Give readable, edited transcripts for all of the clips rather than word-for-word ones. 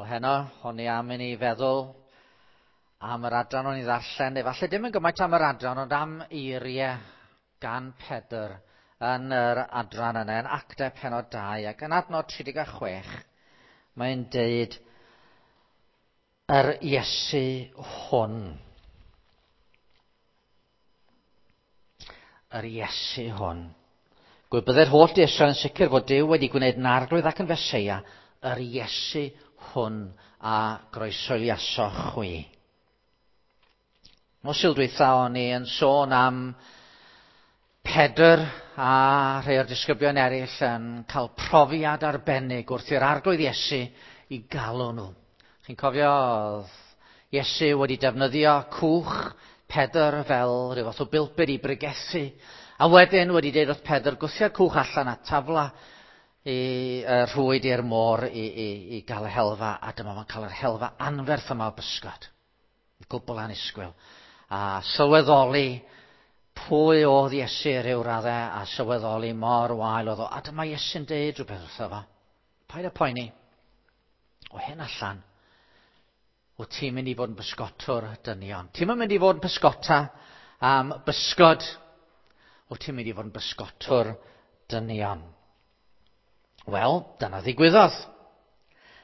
Wel heno, o'n i am i ni feddwl am yr adran o'n i ddarllen, efallai dim yn gymaint am yr adran, ond am eiriau gan Pedr yn yr adran yna, yn Actau pennod 2, ac yn adnod 36, mae'n deud yr Iesu hwn. Yr Iesu hwn. Gwybydde'r holl di Israel yn sicr fod Duw wedi gwneud yn arglwydd ac yn Feseia, yr Iesu hwn a groesoeliasoch chwi. Nos Sul dwytha o'n i yn sôn am Pedr a rhai o'r disgyblion eraill yn cael profiad arbennig wrth i'r arglwydd Iesu i galw nhw. Chi'n cofio oedd Iesu wedi defnyddio cwch Pedr fel rhyw fath o bilpid i bregethu, a wedyn wedi deud wrth Pedr gwthio'r cwch allan a tafla i uh, rhwyd i'r môr i, i, i gael y helfa, a dyma fo'n cael yr helfa anferth yma o bysgod. Gwbl annisgwyl. A sylweddoli pwy oedd Iesu rhyw raddau a sylweddoli mor wael oedd o. A dyma Iesu'n deud rhywbeth wrtho fo. Paid â poeni. O hyn allan, wyt ti'n mynd i fod yn bysgotwr dynion. Ti'n mynd i fod yn pysgota am bysgod. Wyt ti'n mynd i fod yn bysgotwr dynion. Wel, dyna ddigwyddodd.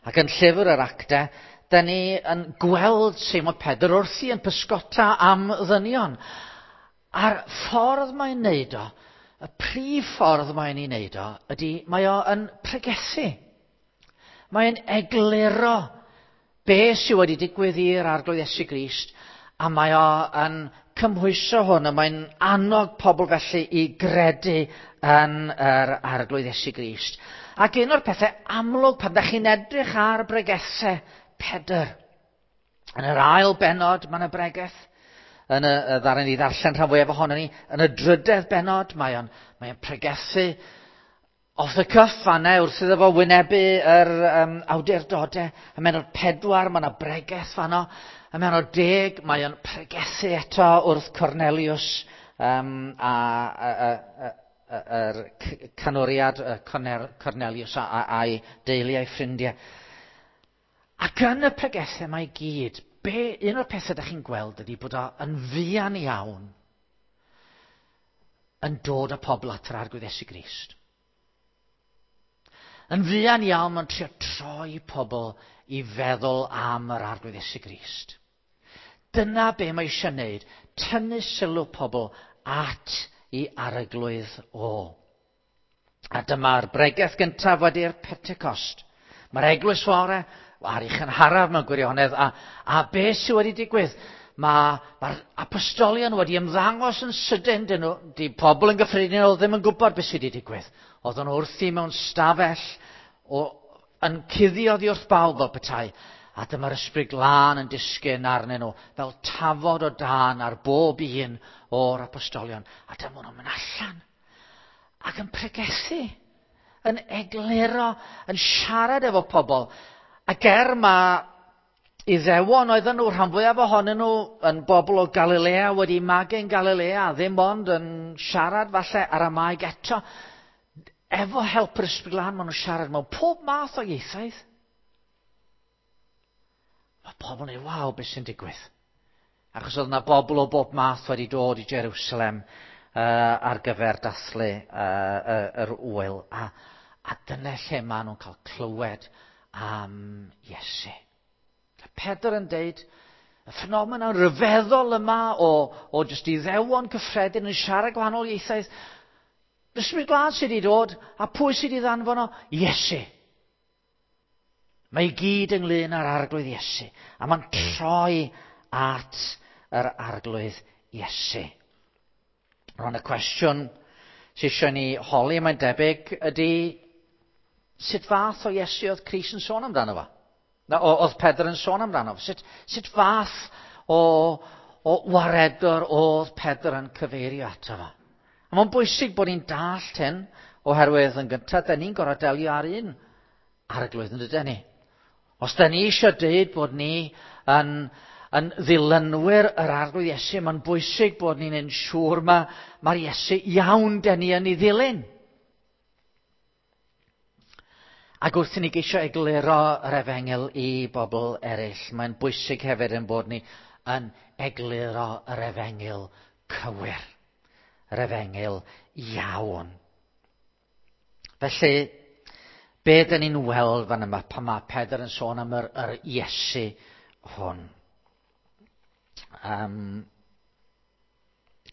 Ac yn llyfr yr actau, da ni yn gweld Seimon Pedr wrthi yn pysgota am ddynion. A'r ffordd mae'n neud o, y prif ffordd mae'n ei neud o, ydy mae o yn pregethu. Mae'n egluro be sydd wedi digwydd i'r Arglwydd Iesu Grist, a mae o yn cymhwyso hwn, a mae'n annog pobl felly i gredu yn yr Arglwydd Iesu Grist. Ac un o'r pethau amlwg pan da chi'n edrych ar bregethau Pedr, yn yr ail bennod mae yna bregeth, yn y, y ddarn ni ddarllen rhan fwyaf ohono ni, yn y drydedd bennod mae o'n mae o'n pregethu off the cuff fanna wrth iddo fo wynebu yr um, awdurdodau. Ym mennod 4 mae yna bregeth fanno. Ym mennod 10 mae o'n pregethu eto wrth Cornelius um, a, a, a, a, yr canwriad Cornelius a'i deulu a'i ffrindiau. Ac yn y pregethau mae gyd, be, un o'r pethau ydych chi'n gweld ydy bod o yn fuan iawn yn dod â pobl at yr Arglwydd Iesu Grist. Yn fuan iawn mae'n trio troi pobl i feddwl am yr Arglwydd Iesu Grist. Dyna be mae eisiau wneud, tynnu sylw pobl at i arglwydd o. A dyma'r bregeth gyntaf wedi'r Pentecost. Mae'r eglwys fore ar ei chynharaf mewn gwirionedd, a, a be sydd wedi digwydd? Mae'r mae apostolion wedi ymddangos yn sydyn, dyn nhw, di pobl yn gyffredinol ddim yn gwybod beth sydd wedi digwydd. Oedden nhw wrthi mewn stafell o, yn cuddio oddi wrth bawb fel petai. A dyma'r ysbryd glân yn disgyn arnyn nhw, fel tafod o dân ar bob un o'r apostolion. A dyma nhw'n mynd allan ac yn pregethu, yn egluro, yn siarad efo pobl. Ac er mae Iddewon oedden nhw, rhan fwyaf ohonyn nhw yn bobl o Galilea, wedi magu yn Galilea, ddim ond yn siarad falle Aramaeg eto. Efo help yr Ysbryd Glân, maen nhw'n siarad mewn pob math o ieithoedd. Mae pobl yn ei waw, beth sy'n digwydd? Achos oedd yna bobl o bob math wedi dod i Jerusalem uh, ar gyfer dathlu uh, yr wyl. A, a dyna lle maen nhw'n cael clywed am Iesu. A Pedr yn deud, y ffenomen rhyfeddol yma o, o jyst iddewon cyffredin yn siarad gwahanol ieithoedd, Ysbryd Glân sydd wedi dod, a pwy sydd wedi ddanfon o? Iesu. Mae i gyd ynglyn â'r Arglwydd Iesu, a mae'n troi at yr Arglwydd Iesu. Rwan y cwestiwn sydd eisiau ni holi, mae'n debyg, ydy sut fath o Iesu oedd Crist yn sôn amdano fo? Na, oedd Pedr yn sôn amdano fo? Sut, sut fath o, o waredwr oedd Pedr yn cyfeirio ato fo? A mae'n bwysig bod ni'n dallt hyn, oherwydd yn gyntaf, da ni'n gorfod delio ar un arglwydd yn dydyn ni. Os da ni eisiau dweud bod ni yn, yn ddilynwyr yr arglwydd Iesu, mae'n bwysig bod ni'n yn siŵr mae, mae'r Iesu iawn da ni yn ei ddilyn. Ac wrth i ni geisio egluro yr efengyl i bobl eraill, mae'n bwysig hefyd yn bod ni yn egluro yr efengyl cywir, yr efengyl iawn. Felly, be dyn ni'n weld fan yma pan mae Pedr yn sôn am yr Iesu hwn?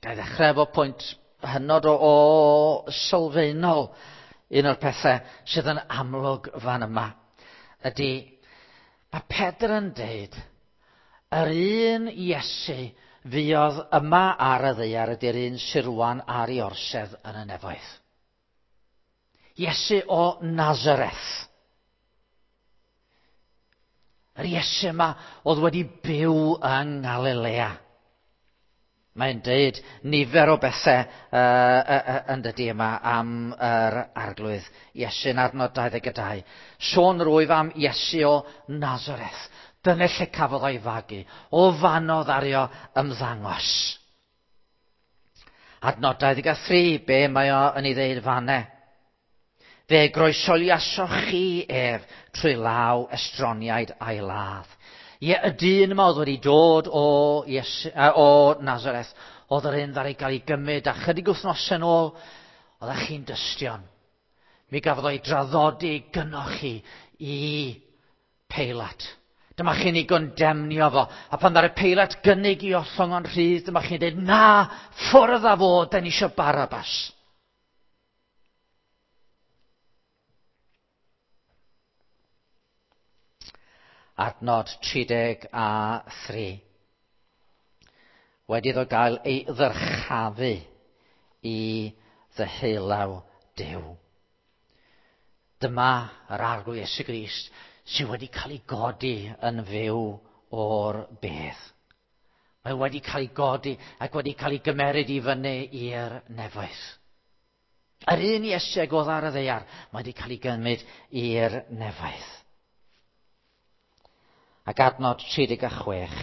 Ga i ddechrau efo pwynt hynod o sylfaenol. Un o'r pethau sydd yn amlwg fan yma ydy, mae Pedr yn deud, yr un Iesu fuodd yma ar y ddaear ydy'r un sydd rwan ar ei orsedd yn y nefoedd. Iesu o Nazareth. Yr Iesu yma oedd wedi byw yng Ngalilea. Mae'n deud nifer o bethau yn dydy yma am yr Arglwydd Iesu yn adnod 22. Sôn rwyf am Iesu o Nazareth. Dyna lle cafodd o'i fagu. O fanodd ario ymddangos. Adnod 23, be mae o yn ei ddeud fanne? Fe groesoliasoch chi ef trwy law estroniaid a'i ladd. Ie, y dyn yma oedd wedi dod o Nazareth, oedd yr un ddaru gael ei gymryd, a chydig wythnosau yn ôl, oeddech chi'n dystion. Mi gafodd o'i draddodi gynnoch chi i Peilat. Dyma chi'n ei gondemnio fo. A pan ddaru Peilat gynnig i ollwng o'n rhydd, dyma chi'n dweud, na, ffwrdd â fo, da ni eisiau Barabbas. Adnod 33. Wedi iddo gael ei ddyrchafu i ddeheulaw Duw. Dyma yr Arglwydd Iesu Grist sydd wedi cael ei godi yn fyw o'r bedd. Mae wedi cael ei godi ac wedi cael ei gymeryd i fyny i'r nefoedd. Yr un Iesu ag oedd ar y ddaear, mae wedi cael ei gymryd i'r nefoedd. Ac adnod 36,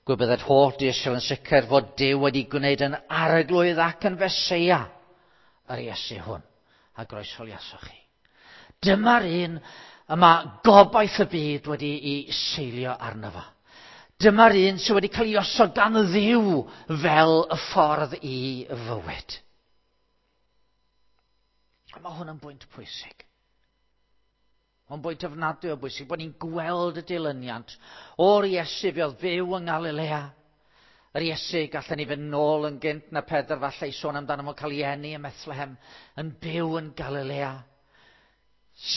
gwybydded holl Israel yn sicr fod Duw wedi gwneud yn arglwydd ac yn Feseia yr Iesu hwn, a groesoliasoch chi. Dyma'r un y mae gobaith y byd wedi ei seilio arno fo. Dyma'r un sydd wedi cael ei osod gan Dduw fel y ffordd i fywyd. A mae hwn yn bwynt pwysig. Mae'n bwynt ofnadwy o bwysig bod ni'n gweld y dilyniant o'r Iesu fe oedd fyw yng Ngalilea. Yr Iesu, gallen ni fynd nôl yn gynt na Pedr falle i sôn amdano fo'n cael ei eni ym Methlehem, yn byw yn Galilea.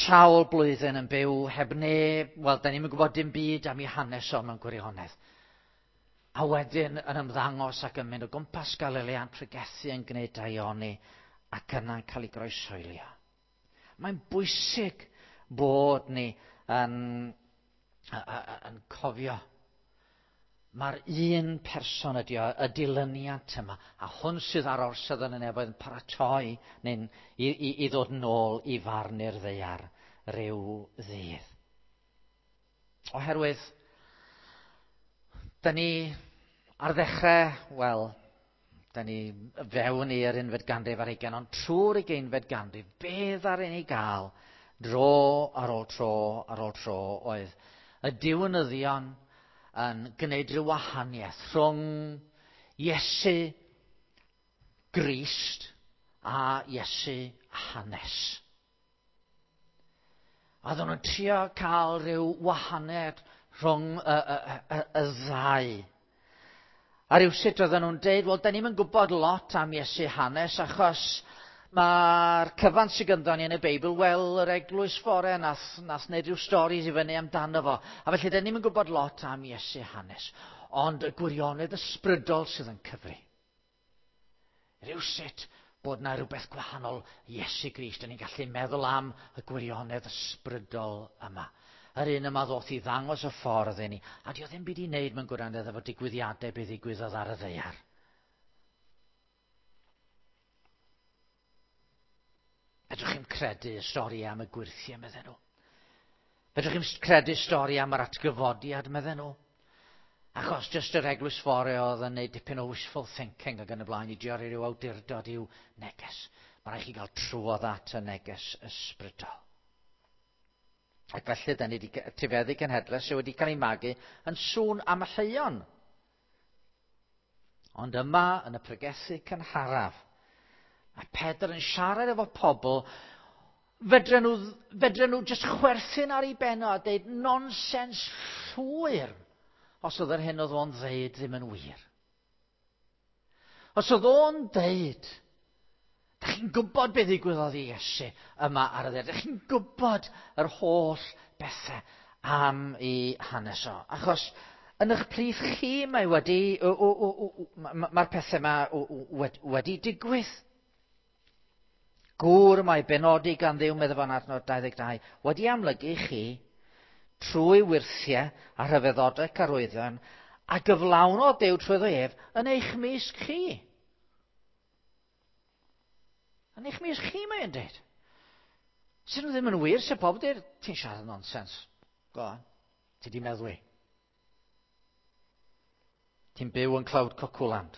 Sawl blwyddyn yn byw heb neb, wel, da ni'm yn gwybod dim byd am ei hanes o mewn gwirionedd. A wedyn yn ymddangos ac yn mynd o gwmpas Galilea yn pregethu yn gwneud daioni ac yna'n cael ei groeshoelio. Mae'n bwysig bod ni yn cofio. Mae'r un person ydi o, y dilyniant yma, a hwn sydd ar orsedd yn y nefoedd yn paratoi neu'n i ddod nôl i farnu'r ddaear ryw ddydd. Oherwydd, da ni ar ddechrau, wel, da ni fewn i'r unfed ganrif ar hugain, ond trwy'r ugeinfed ganrif, be ddaru ni gael dro ar ôl tro ar ôl tro oedd y diwinyddion yn gwneud rhyw wahaniaeth rhwng Iesu Grist a Iesu hanes. A oedden nhw'n trio cael rhyw wahaniaeth rhwng y ddau. A rhywsut oedden nhw'n deud, wel, da ni'm yn gwybod lot am Iesu hanes, achos mae'r cyfan sydd ganddo ni yn y Beibl, wel, yr eglwys fore nath wneud rhyw storis i fyny amdano fo. A felly, da ni'm yn gwybod lot am Iesu hanes. Ond y gwirionedd ysbrydol sydd yn cyfri. Rhywsut bod na rhywbeth gwahanol Iesu Grist. Da ni'n gallu meddwl am y gwirionedd ysbrydol yma. Yr un yma ddoth i ddangos y ffordd i ni. A di o ddim byd i wneud mewn gwirionedd efo digwyddiadau beth ddigwyddodd ar y ddaear. Fedrwch chi'm credu y stori am y gwyrthiau, medden nhw. Fedrwch chi'm credu stori am yr atgyfodiad, medden nhw. Achos jyst yr eglwys fore oedd yn neud dipyn o wishful thinking ac yn y blaen i drio rhyw awdurdod i'w neges. Mae rhaid chi gael trwodd at y neges ysbrydol. Ac felly, da ni wedi tifeddu cenhedlaeth sydd wedi cael ei magu yn sŵn am y lleion. Ond yma, yn y pregethu cynharaf, mae Pedr yn siarad efo pobl, fedren nhw, fedren nhw jyst chwerthin ar ei benno a deud nonsens llwyr os oedd yr hyn oedd o'n ddeud ddim yn wir. Os oedd o'n deud, da chi'n gwybod beth ddigwyddodd i Iesu yma ar y ddaear. Da chi'n gwybod yr holl bethau am ei hanes o. Achos yn eich plith chi mae wedi, mae'r pethau yma wedi digwydd. Gŵr mae benodi gan Dduw, meddai fo'n adnod 22, wedi amlygu chi trwy wyrthiau a rhyfeddodau carwyddion a gyflawnodd Duw trwyddo ef yn eich mysg chi. Yn eich mysg chi, mae'n dweud. Sy'n nhw ddim yn wir, sy'n pobl dweud, ti'n siarad nonsens. Go on, ti di meddwi. Ti'n byw yn Cloud Cocwland.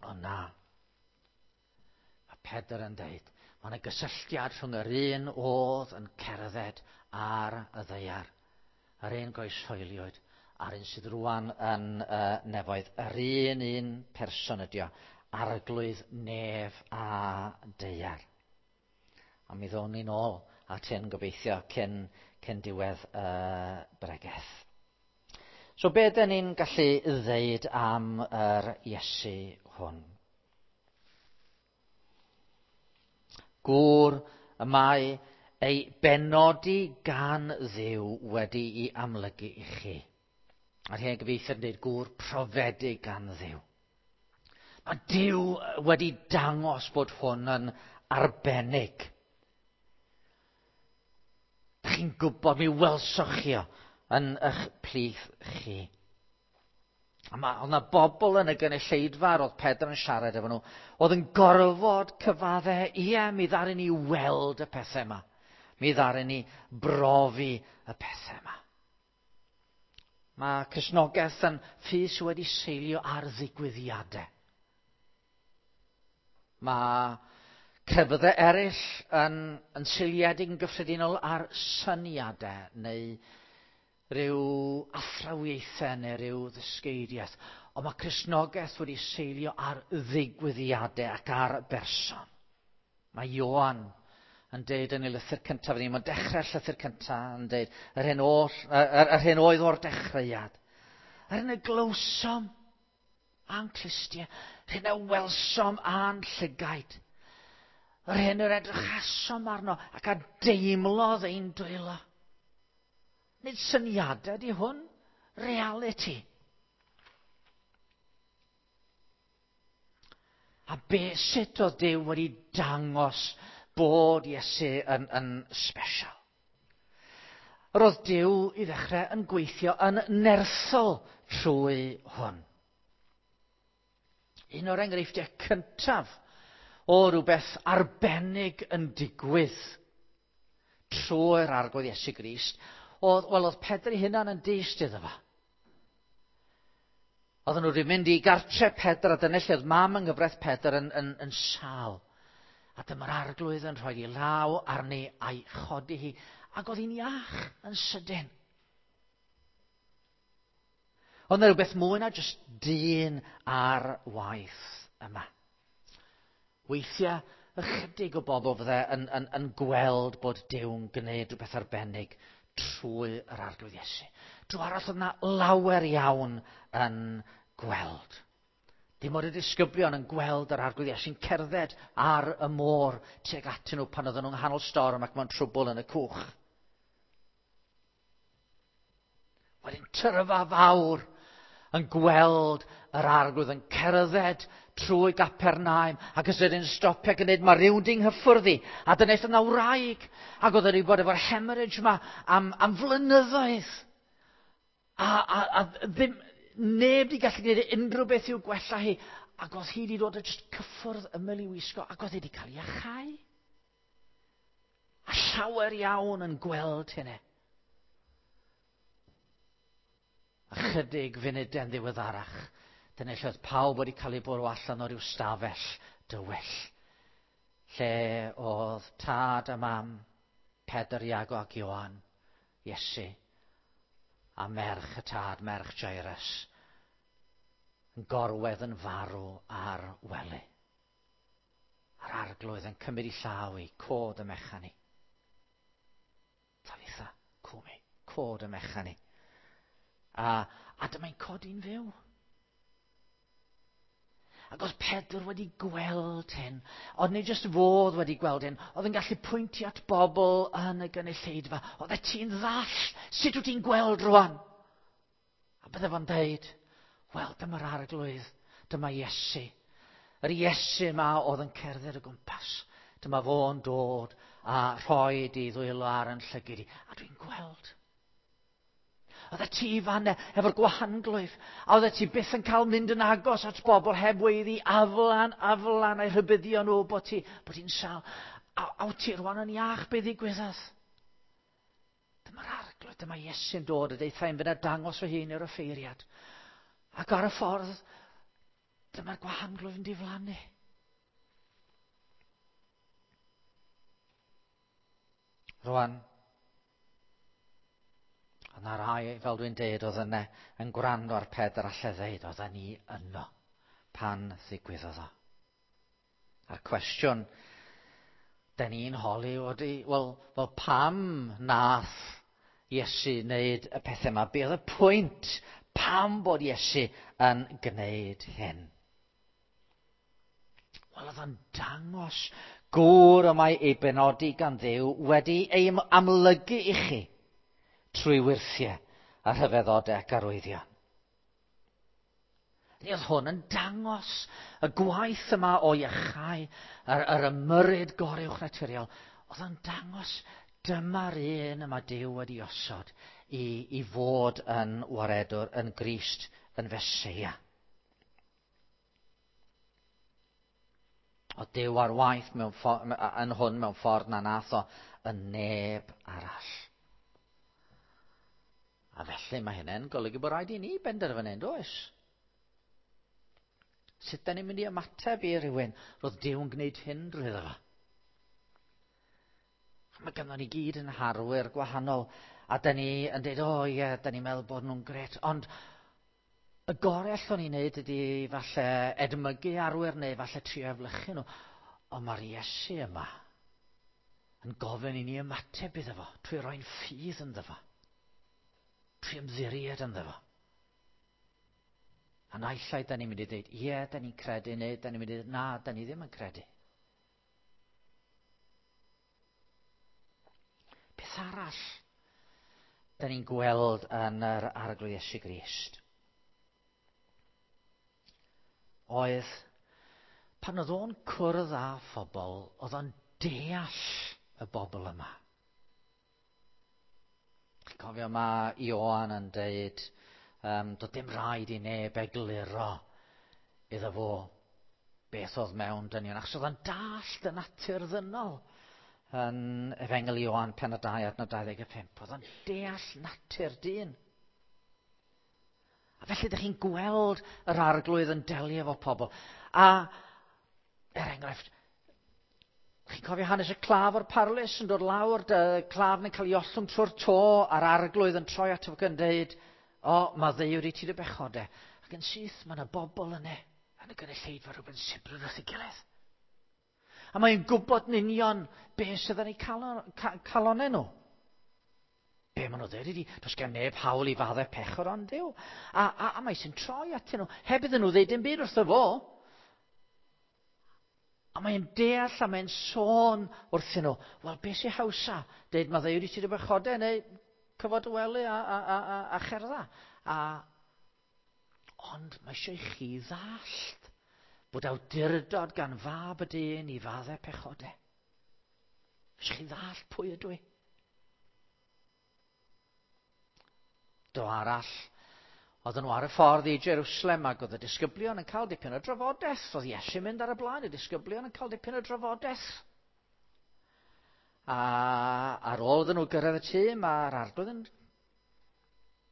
O na. Mae Pedr yn dweud, mae yna gysylltiad rhwng yr un oedd yn cerdded ar y ddaear, yr un goeshoeliwyd, a'r un sydd rwan yn nefoedd, yr un un person ydi o, arglwydd nef a daear. A mi ddown ni'n ôl at hyn gobeithio cyn, cyn diwedd y bregeth. So be dyn ni'n gallu ddeud am yr Iesu hwn? Gŵr y mae ei benodi gan Dduw wedi'i amlygu i chi. A'r hen gyfieithiad yn dweud gŵr profedig gan Dduw. Mae Duw wedi dangos bod hwn yn arbennig. Da chi'n gwybod, mi welsoch chi o yn eich plith chi. A mae, oedd yna bobl yn y gynulleidfa roedd Pedr yn siarad efo nhw, oedd yn gorfod cyfadde, ie, mi ddaru ni weld y pethau yma. Mi ddaru ni brofi y pethau yma. Mae Cristnogaeth yn ffydd sydd wedi seilio ar ddigwyddiadau. Mae crefyddau eraill yn, yn seiliedig yn gyffredinol ar syniadau neu rhyw athrawiaethau neu rhyw ddysgeidiaeth. Ond mae Cristnogaeth wedi seilio ar ddigwyddiadau ac ar berson. Mae Ioan yn deud yn ei lythyr cyntaf, ni, mae'n dechrau'r llythyr cyntaf yn deud, yr hyn, oll, yr, yr hyn oedd o'r dechreuad. Yr hyn y glywsom a'n clustiau, yr hyn y welsom a'n llygaid, yr hyn yr edrychasom arno ac a deimlodd ein dwylo. Nid syniadau di hwn, reality. A be, sut oedd Duw wedi dangos bod Iesu yn, yn special? Yr oedd Duw i ddechrau yn gweithio yn nerthol trwy hwn. Un o'r enghreifftiau cyntaf o rhywbeth arbennig yn digwydd trwy'r arglwydd Iesu Grist, oedd, wel, oedd Pedr ei hunan yn dyst iddo fo. Oedden nhw wedi mynd i gartre Pedr a dyna lle oedd mam yng nghyfraith Pedr yn, yn, yn sal. A dyma'r arglwydd yn rhoi ei law arni a'i chodi hi. Ac oedd hi'n iach yn sydyn. Oedd yna rhywbeth mwy na jyst dyn ar waith yma. Weithiau, ychydig o bobl fydde yn, yn, yn gweld bod Duw'n gwneud rhywbeth arbennig trwy yr arglwydd Iesu. Drwy arall oedd yna lawer iawn yn gweld. Dim ond y disgyblion yn gweld yr arglwydd Iesu'n cerdded ar y môr tuag atyn nhw pan oedden nhw'n nghanol storm ac mewn trwbl yn y cwch. Wedyn tyrfa fawr yn gweld yr arglwydd yn cerdded trwy Gapernaum ac os ydyn stopio ac yn dweud mae rhywun di'n nghyffwrdd i a dyna aeth yna wraig ac oedd wedi bod efo'r hemorrhage yma am, am flynyddoedd a, a, a ddim, neb wedi gallu gwneud unrhyw beth i'w gwella hi ac oedd hi wedi dod a just cyffwrdd ymyl i wisgo ac oedd hi wedi cael ei achau. A llawer iawn yn gweld hynny. Ychydig funudau'n ddiweddarach, dyna lle oedd pawb wedi cael ei bwrw allan o ryw stafell dywyll, lle oedd tad a mam Pedr, Iago ac Ioan, Iesu, a merch y tad, merch Jairus, yn gorwedd yn farw ar wely. A'r arglwydd yn cymryd i llaw i cod y mechan i. Talitha, cwmi, cod y mechan i. A, a dyma'n codi'n fyw. Ac oedd Pedr wedi gweld hyn, ond nid jyst fodd wedi gweld hyn, oedd yn gallu pwyntio at bobl yn y gynulleidfa. Oedd e ti'n ddall, sut wyt ti'n gweld rwan? A bydde fo'n deud, wel, dyma'r arglwydd, dyma Iesu. Yr Iesu yma oedd yn cerdded o gwmpas. Dyma fo'n dod a rhoi di ddwylo ar yn llygyd i. A dwi'n gweld. Oeddet ti fan efo'r gwahanglwyf. A oeddet ti byth yn cael mynd yn agos at bobl heb weiddi aflan, aflan a'i rhybuddio nhw bod ti, bod ti'n sal. A, a wyt ti rwan yn iach be ddigwyddodd? Dyma'r arglwydd, dyma Iesu'n dod a deitha i'n fynd a dangos fy hun i'r offeiriad. Ac ar y ffordd, dyma'r gwahanglwyf yn diflannu. Rwan, Ond na rai, fel dwi'n deud, oedd yna yn gwrando ar Pedr a ddeud, oedden ni yno pan ddigwyddodd o. A'r cwestiwn, da ni'n holi oeddi, wel, wel pam nath Iesu wneud y pethau yma? Be oedd y pwynt? Pam bod Iesu yn gwneud hyn? Wel, oedd o'n dangos gŵr y mae ei benodi gan Dduw wedi ei amlygu i chi trwy wyrthiau a rhyfeddodau ac arwyddion. Ni oedd hwn yn dangos y gwaith yma o iachau, yr, yr ymyryd goruwch naturiol. Oedd o'n dangos dyma'r un yma Duw wedi osod i, i fod yn waredwr, yn Grist, yn Feseia. O Duw ar waith mewn yn hwn mewn ffordd na nath o yn neb arall. A felly mae hynny'n golygu bod rhaid i ni benderfynu, does? Sut da ni'n mynd i ymateb i rywun roedd Duw yn gwneud hyn drwy fo? Mae ganddo ni gyd yn harwyr gwahanol, a da ni yn dweud, o oh, ie, da ni'n meddwl bod nhw'n gret, ond y gorau allwn ni wneud ydy falle edmygu arwyr neu falle trio eflychu nhw. Ond mae'r Iesu yma yn gofyn i ni ymateb iddo fo, trwy roi'n ffydd ynddo fo, trwy ymddiried ynddo fo. A naill ai da ni'n mynd i ddweud, ie, da ni'n credu, neu da ni'n mynd i ddweud, na, da ni ddim yn credu. Beth arall da ni'n gweld yn yr Arglwydd Iesu Grist? Oedd, pan oedd o'n cwrdd â phobl, oedd o'n deall y bobl yma. Chi'n cofio mae Ioan yn deud, um, doedd dim rhaid i neb egluro iddo fo beth oedd mewn dynion, achos oedd o'n dallt y natur ddynol yn Efengyl Ioan penod 2 adnod 25. Oedd o'n deall natur dyn. A felly ydych chi'n gweld yr arglwydd yn delio efo pobl. A, er enghraifft, chi'n cofio hanes y claf o'r parlys yn dod lawr, dy claf yn cael ei ollwng trwy'r to, a'r arglwydd yn troi ato fo yn dweud, o, mae ddeuwr i ti dy bechode. Ac yn syth, mae yna bobl yna, yn y gynulleidfa rhywbeth sibrwd wrth ei gilydd. A mae'n gwybod yn union beth sydd yn eu calon, ca, calonau nhw. Be maen nhw ddweud ydy, does gen neb hawl i faddau pechod ond Duw. A, a, a mae sy'n troi atyn nhw, heb iddyn nhw ddeud dim byd wrtho fo. A mae'n deall a mae'n sôn wrthyn nhw, wel, beth sy'n hawsa? Deud, mae ddeud i ti dy bechodau neu cyfod y wely a, a, a, a, a cherdda. A, ond mae eisiau i chi ddallt bod awdurdod gan fab y dyn i faddau pechodau. Eisiau chi ddallt pwy ydw i. Do arall, oedden nhw ar y ffordd i Jerusalem ac oedd y disgyblion yn cael dipyn o drafodaeth. Oedd Iesu'n mynd ar y blaen, y disgyblion yn cael dipyn o drafodaeth. A ar ôl iddyn nhw gyrraedd y tŷ, mae'r arglwydd yn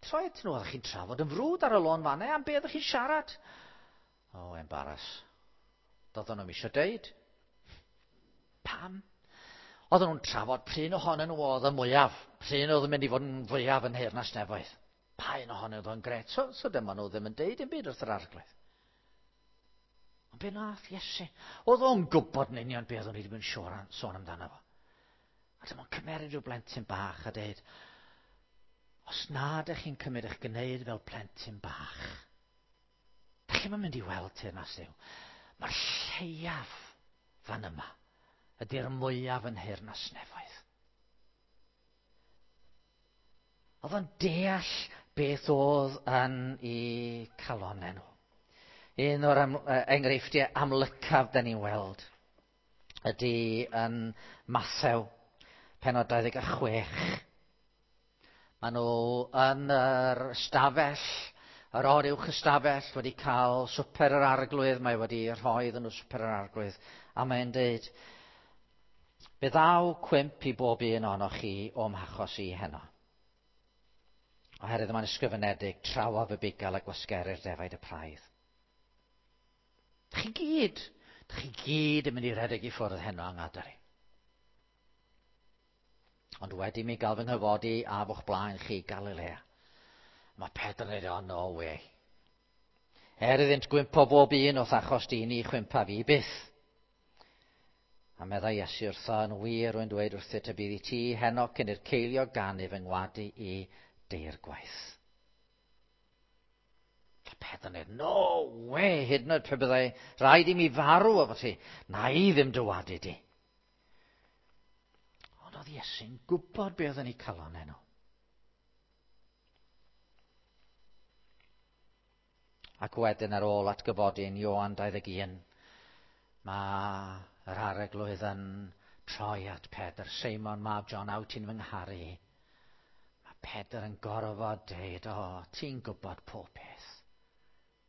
troi at nhw. Oeddech chi'n trafod yn frwd ar y lôn fanna, am be oeddech chi'n siarad? O, oh, embarrass. Doedden nhw'n eisiau deud. Pam? Oedden nhw'n trafod pryn ohonyn nhw oedd y mwyaf, pryn oedd yn mynd i fod yn fwyaf yn Nheyrnas Nefoedd. Pa un ohonyn nhw oedd yn gret? So dyma nhw ddim yn deud dim byd wrth yr Arglwydd. Ond be nath Iesu? Oedd o'n gwybod yn union beth o'n i wedi bod yn sôn amdano fo. A dyma'n cymeryd rhyw blentyn bach a deud, os na ydych chi'n cymryd eich gwneud fel plentyn bach, da chi'm yn mynd i weld teyrnas Dduw. Mae'r lleiaf fan yma ydy'r mwyaf yn nheyrnas nefoedd. Oedd o'n deall beth oedd yn eu calonnau nhw. Un o'r enghreifftiau amlycaf da ni'n weld ydy yn Mathew, pennod 26. Maen nhw yn yr ystafell, yr oruwch ystafell, wedi cael swper yr Arglwydd, mae wedi rhoi iddyn nhw swper yr Arglwydd, a mae'n deud, fe ddaw cwymp i bob un ohonoch chi o'm hachos i heno. Oherwydd mae'n ysgrifenedig, trawaf y bugail a gwasgerir defaid y praidd. Chi gyd, chi gyd yn mynd i redeg i ffwrdd heno yng ngadael i. Ond wedi mi gael fy nghyfodi a fo'ch blaen chi Galilea. Mae Pedr yn dweud, oh, no way. Er iddynt gwympo bob un o'th achos di, ni chwympa fi byth. A meddai Iesu wrtho, yn wir rwy'n dweud wrthyt y bydd i ti heno cyn i'r ceiliog ganu fy ngwadu i deir gwaith. A Pedr yn dweud, no way, hyd yn oed pe byddai rhaid i mi farw efo ti, na i ddim dy wadu di. Ond oedd Iesu'n gwybod be oedd yn eu calonnau nhw. Ac wedyn ar ôl atgyfodi yn Ioan 21, mae yr Arglwydd yn troi at Pedr. Seimon, mab John, aw ti'n fy ngharu i? Mae Pedr yn gorfod deud, o, ti'n gwybod pob peth.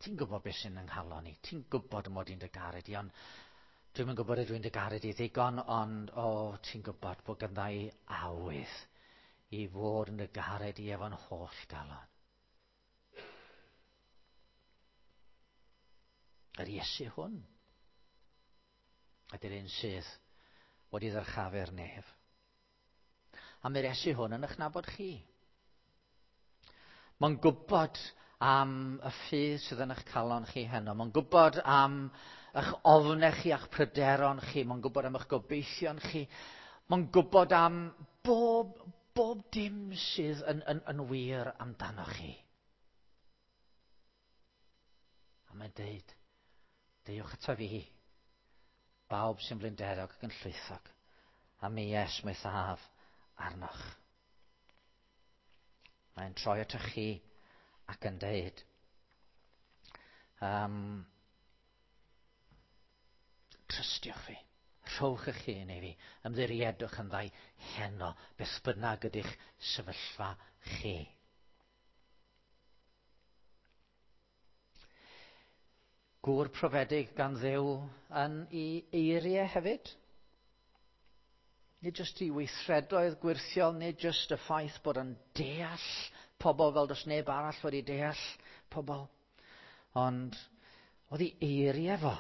Ti'n gwybod beth sy'n yng nghalon i. Ti'n gwybod mod i'n dy garu di, ond dwi'm yn gwybod ydw i'n dy garu di ddigon, ond o, ti'n gwybod bod gandda i awydd i fod yn dy garu di efo'n holl galon. Yr Iesu hwn ydy'r un sydd wedi ddyrchafu'r nef. A mae'r Iesu hwn yn eich nabod chi. Mae'n gwybod am y ffydd sydd yn eich calon chi heno. Mae'n gwybod am eich ofnau chi a'ch pryderon chi. Mae'n gwybod am eich gobeithion chi. Mae'n gwybod am bob dim sydd yn wir amdanoch chi. A mae'n deud, deuwch ato fi, bawb sy'n flinderog ac yn llwythog, a mi esmwythaf arnoch. Mae'n troi atoch chi ac yn deud, trystiwch fi, rhowch eich hun i fi, ymddiriedwch yn ddau heno, beth bynnag ydych sefyllfa chi. Gŵr profedig gan Dduw yn ei eiriau hefyd. Nid jyst i weithredoedd gwyrthiol, nid jyst y ffaith bod yn deall pobl fel does neb arall wedi deall pobl, ond oedd ei eiriau fo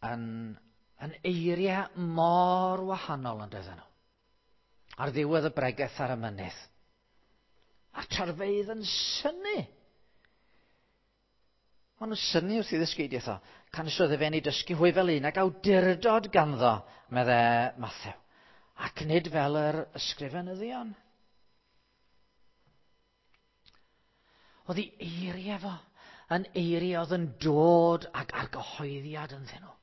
yn eiriau mor wahanol yn doedden nhw. Ar ddiwedd y bregeth ar y mynydd. A'r tarfeydd yn synnu. Maen nhw'n synnu wrth i ddysgeidiaeth o. Canys oedd efe yn ei dysgu hwy fel un ag awdurdod ganddo, meddai Mathew, ac nid fel yr ysgrifenyddion. Oedd ei eiriau fo yn eiriau oedd yn dod ag argyhoeddiad ynddyn nhw.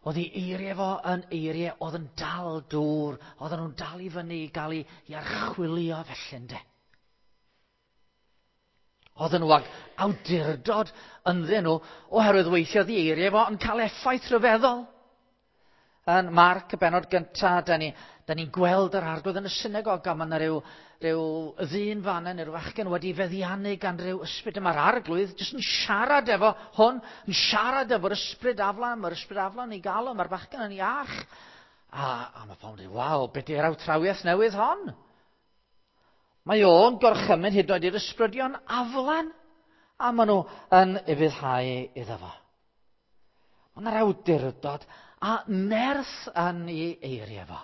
Oedd ei eiriau fo yn eiriau oedd yn dal dŵr, oedden nhw'n dal i fyny i gael ei archwilio felly, ynde. Oedden nhw ag awdurdod ynddyn nhw oherwydd weithio oedd ei eiriau fo yn cael effaith rhyfeddol. Yn Marc, y bennod gyntaf, da ni'n gweld yr Arglwydd yn y synagog, a mae yna rhyw ddyn fan yna, rhyw fachgen wedi feddiannu gan rhyw ysbryd. Mae'r Arglwydd jyst yn siarad efo hwn, yn siarad efo'r ysbryd aflan, mae'r ysbryd aflan i gael o, mae'r bachgen yn iach. A mae pobl yn dweud, waw, be di'r awtrawiaeth newydd hon? Mae o'n gorchymyn hyd yn oed i'r ysbrydion aflan, a maen nhw yn ufuddhau iddo fo. Mae yna'r awdurdod A nerth yn ei eiriau fo.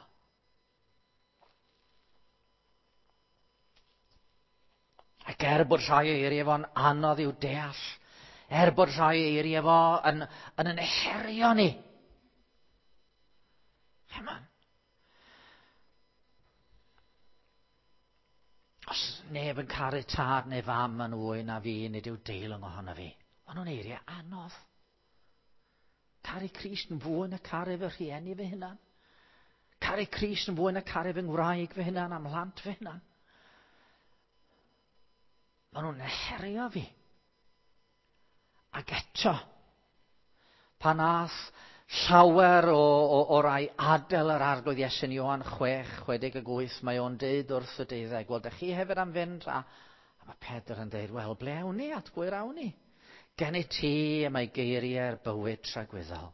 Ac er bod rhai eiriau fo'n anodd i'w deall, er bod rhai eiriau fo yn, yn yn herio ni. Chymod? Os neb yn caru tad neu fam yn fwy na fi, nid yw deilwng ohono fi. Maen nhw'n eiriau anodd. Caru Crist yn fwy na caru fy rhieni fy hunan. Caru Crist yn fwy na caru fy ngwraig fy hunan am mhlant fy hunan. Maen nhw'n herio fi. Ac eto, pan ath llawer o, o, o rai adael yr arglwydd Iesu yn Ioan 6, 68, mae o'n deud wrth y deuddeg, wel, dych chi hefyd am fynd? A, a mae Pedr yn deud, wel, ble awn ni? At bwy'r awn ni? Gen i ti y mae geiriau'r bywyd tragwyddol.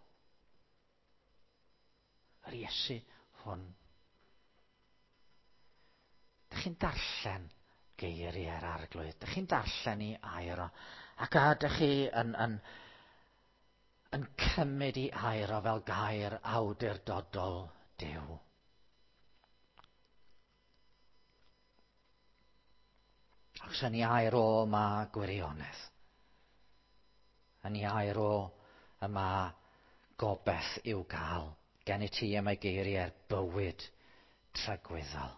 Yr Iesu hwn. Dych chi'n darllen geiriau'r arglwydd. Dych chi'n darllen i air o. Ac a ydych chi yn, yn, yn cymryd i air o fel gair awdurdodol Duw. Achos yn ei air o mae gwirionedd. Yn ei air o y mae gobeith i'w gael. Gen i ti y mae geiriau'r bywyd tragwyddol.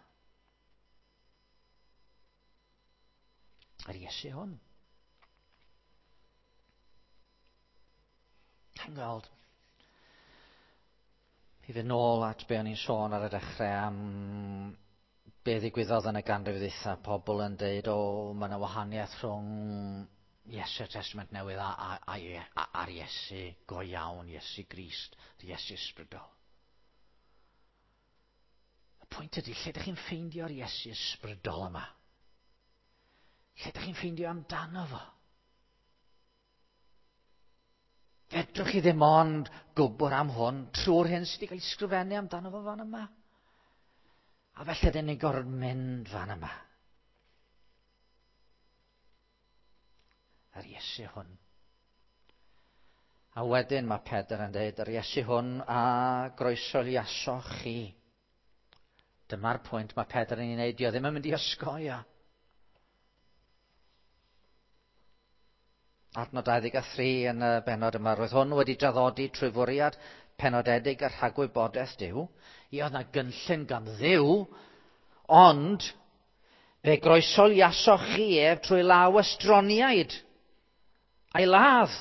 Yr Iesu hwn. Chi'n gweld, i fynd nôl at be o'n i'n sôn ar y dechrau am be ddigwyddodd yn y ganrif ddwytha, pobl yn deud, o, mae yna wahaniaeth rhwng Iesu'r Testament Newydd a, a, a, a, a'r Iesu go iawn, Iesu Grist, yr Iesu ysbrydol. Y pwynt ydy, lle ydych chi'n ffeindio'r Iesu ysbrydol yma? Lle ydych chi'n ffeindio amdano fo? Fedrwch chi ddim ond gwybod am hwn trwy'r hyn sydd wedi cael ei sgrifennu amdano fo fan yma. A felly dyn ni'n gorfod mynd fan yma. Yr Iesu hwn. A wedyn mae Pedr yn dweud, yr Iesu hwn a groesoliasoch chi. Dyma'r pwynt mae Pedr yn ei wneud. Dio ddim yn mynd i osgoi o. Adnod 23 yn y bennod yma. Roedd hwn wedi draddodi trwy fwriad penodedig y rhagwybodaeth Duw. I oedd na gynllun gan Dduw, ond fe groesoliasoch chi ef trwy law estroniaid a'i ladd.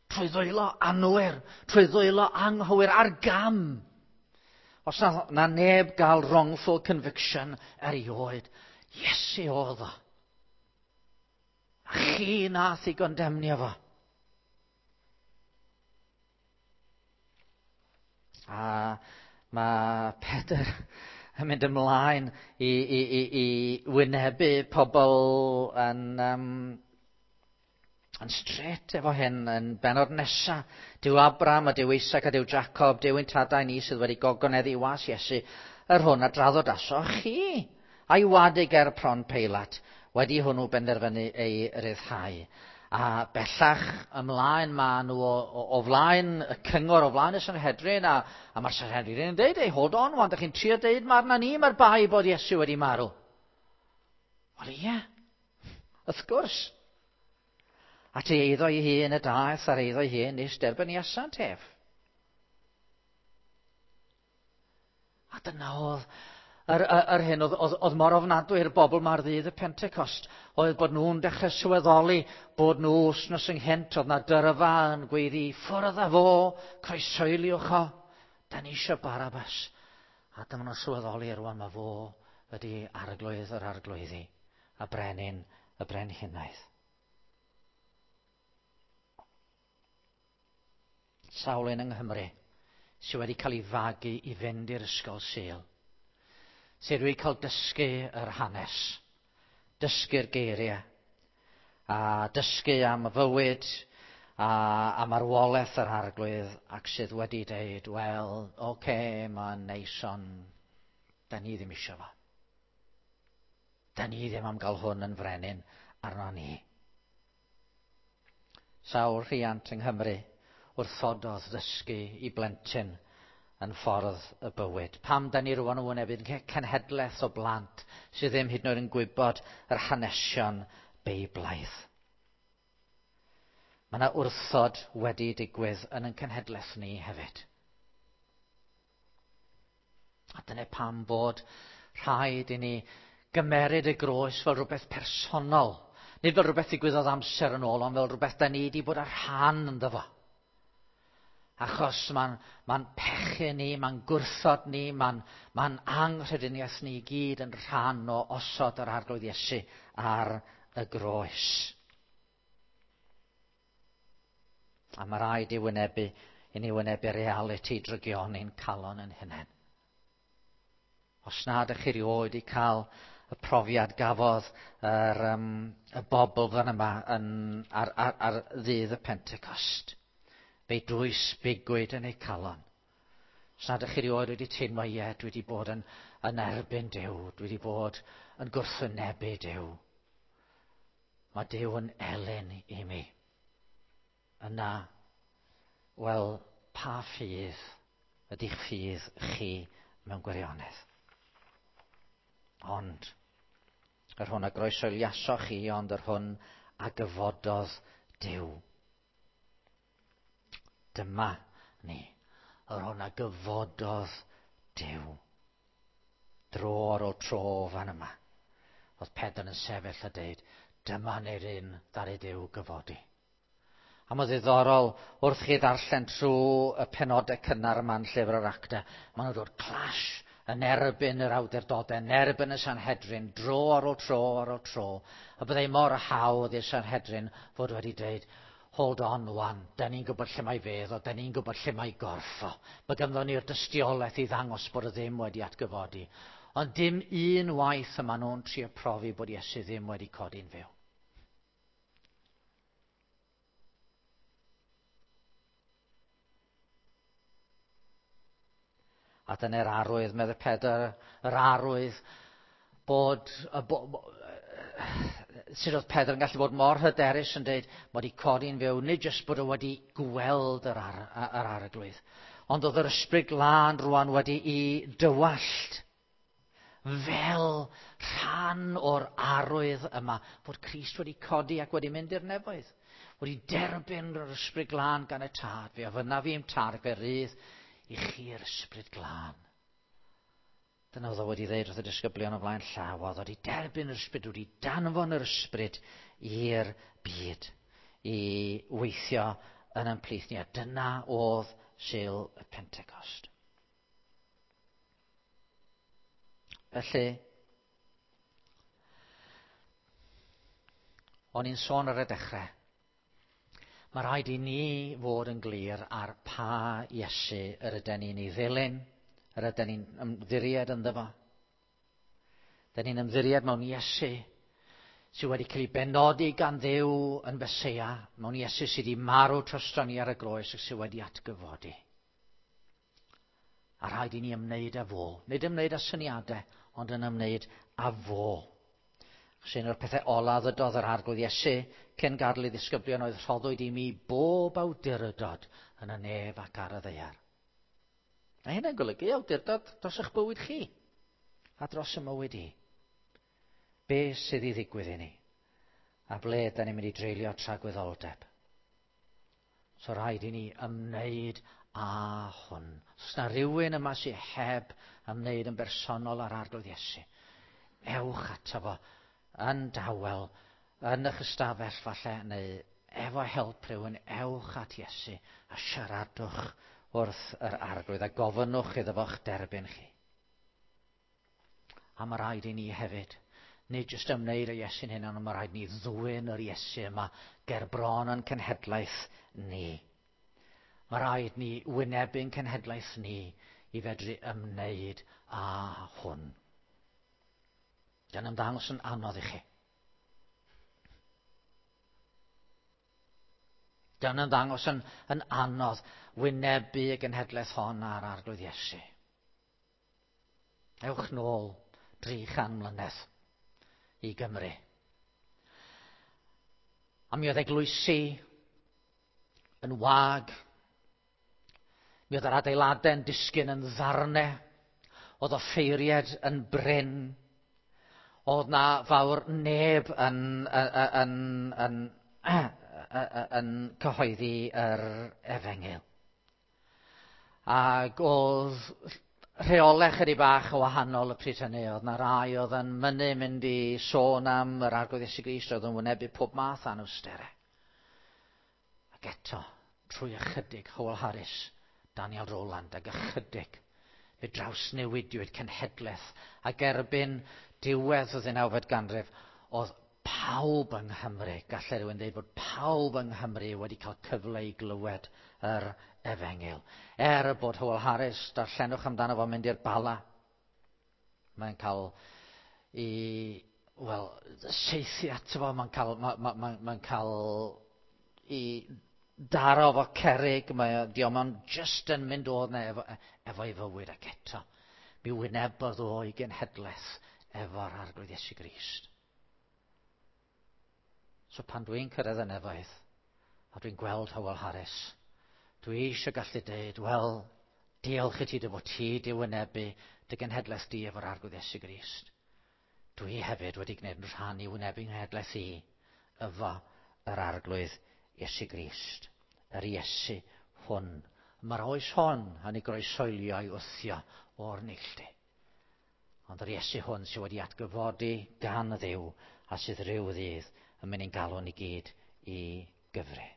Trwy ddwylo anwir, trwy ddwylo anghywir, ar gam. Os na, na neb gael wrongful conviction erioed, Iesu oedd o. A chi nath i gondemnio fo. A mae Pedr yn mynd ymlaen i, i, i, i wynebu pobl yn, um, yn straight efo hyn yn benod nesa. Dyw Abram a Dyw Isaac a Dyw Jacob, Dyw ein tadau ni sydd wedi gogoneddu i was Iesu, yr hwn a draddodasoch chi, a'i wadu ger pron Peilat, wedi hwnnw benderfynu ei ryddhau. A bellach ymlaen maen nhw o, o, o flaen y cyngor, o flaen y Sanhedrin, a, a mae'r Sanhedrin yn deud, ei, hold on, wan, da chi'n trio deud mae arna ni, mae'r bai bod Iesu wedi marw. Wel ie, wrth gwrs. At ei eiddo ei hun y daeth ar eiddo ei hun nes derbyniasant ef. A dyna oedd yr, yr, yr hyn oedd, oedd, oedd mor ofnadwy i'r bobl ma'r ddydd y Pentecost, oedd bod nhw'n dechrau sylweddoli bod nhw wsnos ynghynt, oedd na dyrfa yn gweiddi, ffwrdd â fo, croesoeliwch o, da ni eisiau Barabas. A dyma nhw'n sylweddoli rwan mae fo ydy arglwydd yr arglwyddi a brenin y brenhinoedd. Sawl un yng Nghymru sydd wedi cael ei fagu i fynd i'r ysgol Sul, sydd wedi cael dysgu yr hanes, dysgu'r geiriau, a dysgu am y fywyd a, a marwolaeth yr arglwydd ac sydd wedi deud, wel, oce, okay, mae'n neis ond da ni ddim eisiau fo. Da ni ddim am gael hwn yn frenin arno ni. Sawl rhiant yng Nghymru wrthododd ddysgu i blentyn yn ffordd y bywyd. Pam da ni rwan yn wynebu cenhedlaeth o blant sydd ddim hyd yn oed yn gwybod yr hanesion Beiblaidd. Mae yna wrthod wedi digwydd yn ein cenhedlaeth ni hefyd. A dyna pam bod rhaid i ni gymeryd y groes fel rhywbeth personol. Nid fel rhywbeth ddigwyddodd amser yn ôl, ond fel rhywbeth da ni wedi bod ar rhan ynddo fo. Achos mae'n pechu ni, mae'n gwrthod ni, mae'n anghrediniaeth ni i gyd yn rhan o osod yr Arglwydd Iesu ar y groes. A mae rhaid i wynebu, i ni wynebu realiti drygioni'n calon yn hunain. Os nad ydych chi erioed i cael y profiad gafodd y bobl fan yma ar ddydd y Pentecost. Fe dwys bigwyd yn eu calon. Os nad ydych chi erioed wedi teimlo, ie, dwi wedi bod yn erbyn Duw, dwi wedi bod yn gwrthwynebu Duw. Mae Duw yn elyn i mi. Yna, wel, pa ffydd ydy'ch ffydd chi mewn gwirionedd? Ond, yr hwn a groesoeliasoch chi, ond yr hwn a gyfododd Duw. Dyma ni, yr hwn a gyfododd Duw. Dro ar ôl tro fan yma. Oedd Pedr yn sefyll a deud, dyma ni'r un ddaru Duw gyfodi. A mae'n ddiddorol wrth chi ddarllen trwy y penodau cynnar yma yn llyfr yr Actau, maen nhw'n dod clash yn erbyn yr awdurdodau, yn erbyn y Sanhedrin, dro ar ôl tro ar ôl tro. A byddai mor hawdd i'r Sanhedrin fod wedi dweud, hold on wan, da ni'n gwybod lle mae fedd o, da ni'n gwybod lle mae gorff o. Mae ganddo ni'r dystiolaeth i ddangos bod o ddim wedi atgyfodi. Ond dim un waith yma nhw'n trio profi bod Iesu ddim wedi codi'n fyw. A dyna'r arwydd, meddai Pedr, yr arwydd bod... Sut oedd Pedr yn gallu bod mor hyderus yn dweud mod i codi'n fyw, nid jyst bod o wedi gweld yr arglwydd, ond oedd yr Ysbryd Glân rwan wedi'i dywallt fel rhan o'r arwydd yma fod Crist wedi codi ac wedi mynd i'r nefoedd, wedi derbyn yr Ysbryd Glân gan y Tad. Fe ofynnaf i'm Tad ac fe rydd i chi'r Ysbryd Glân. Dyna oedd o wedi dweud wrth y disgyblion o flaen llaw, oedd wedi derbyn yr Ysbryd, wedi danfon yr Ysbryd i'r byd i weithio yn ein plith ni. A dyna oedd Sul y Pentecost. Felly, o'n i'n sôn ar y dechrau, mae rhaid i ni fod yn glir ar pa Iesu yr ydyn ni'n ei ddilyn, yr ydyn ni'n ymddiried ynddo fo. Dyn ni'n ymddiried mewn Iesu sydd wedi cael ei benodi gan Dduw yn Feseia, mewn Iesu sydd wedi marw drosto ni ar y groes ac sydd wedi atgyfodi. A rhaid i ni ymwneud â fo. Nid ymwneud â syniadau, ond yn ymwneud â fo. Achos un o'r pethau ola ddydodd yr Arglwydd Iesu cyn gadael ei ddisgyblion oedd rhoddwyd i mi bob awdurdod yn y nef ac ar y ddaear. A hynna'n golygu awdurdod dros eich bywyd chi a dros y mywyd i. Be sydd i ddigwydd i ni? A ble da ni'n mynd i dreulio tragwyddoldeb? So rhaid i ni ymwneud â hwn. Os na rhywun yma sydd heb ymwneud yn bersonol â'r Arglwydd Iesu, ewch ato fo yn dawel, yn eich ystafell falle, neu efo help rhywun, ewch at Iesu a siaradwch wrth yr Arglwydd a gofynnwch iddo fo'ch derbyn chi. A mae rhaid i ni hefyd, nid jyst ymwneud â Iesu'n hynny, ond mae rhaid ni ddwyn yr Iesu yma ger bron yn cenhedlaeth ni. Mae rhaid ni wynebu'n cenhedlaeth ni i fedru ymwneud â hwn. Gan ymddangos yn anodd i chi. Gan ymddangos yn anodd wynebu y genhedlaeth hon a'r Arglwydd Iesu. Ewch nôl 300 mlynedd i Gymru. A mi oedd eglwysi yn wag. Mi oedd yr adeiladau'n disgyn yn ddarnau. Oedd offeiried yn brin. Oedd na fawr neb yn, yn, yn, yn, yn cyhoeddi yr efengyl. Ac oedd rheolau chydig bach o wahanol y pryd hynny. Oedd na rai oedd yn mynnu mynd i sôn am yr Arglwydd Iesu Grist, oedd yn wynebu pob math anawsterau. Ac eto, trwy ychydig, Howell Harris, Daniel Rowland, ac ychydig, fe drawsnewidiwyd cenhedlaeth, ac erbyn diwedd y ddeunawfed ganrif, oedd pawb yng Nghymru, gallai rhywun dweud bod pawb yng Nghymru wedi cael cyfle i glywed yr efengyl. Er bod Howell Harris, darllenwch amdano fo'n mynd i'r Bala, mae'n cael i, wel, seithi ato fo, mae'n cael, ma, ma, ma, mae'n cael i daro fo cerig, mae di o'n just yn mynd odd na efo, efo'i fywyd ac eto. Mi wynebodd o i genhedlaeth efo'r Arglwydd Iesu Grist. So pan dwi'n cyrraedd y nefoedd, a dwi'n gweld Howell Harris, dwi eisiau gallu dweud, wel, diolch i ti dy fod ti di wynebu dy genhedlaeth di efo'r Arglwydd Iesu Grist. Dwi hefyd wedi gwneud yn rhan i wynebu nghenhedlaeth i efo yr Arglwydd Iesu Grist. Yr Iesu hwn. Mae'r oes hon yn ei groesoelio i wthio o'r neilltu. Ond yr Iesu hwn sydd wedi atgyfodi gan Dduw a sydd rhyw ddydd yn mynd i'n galw ni gyd i gyfri.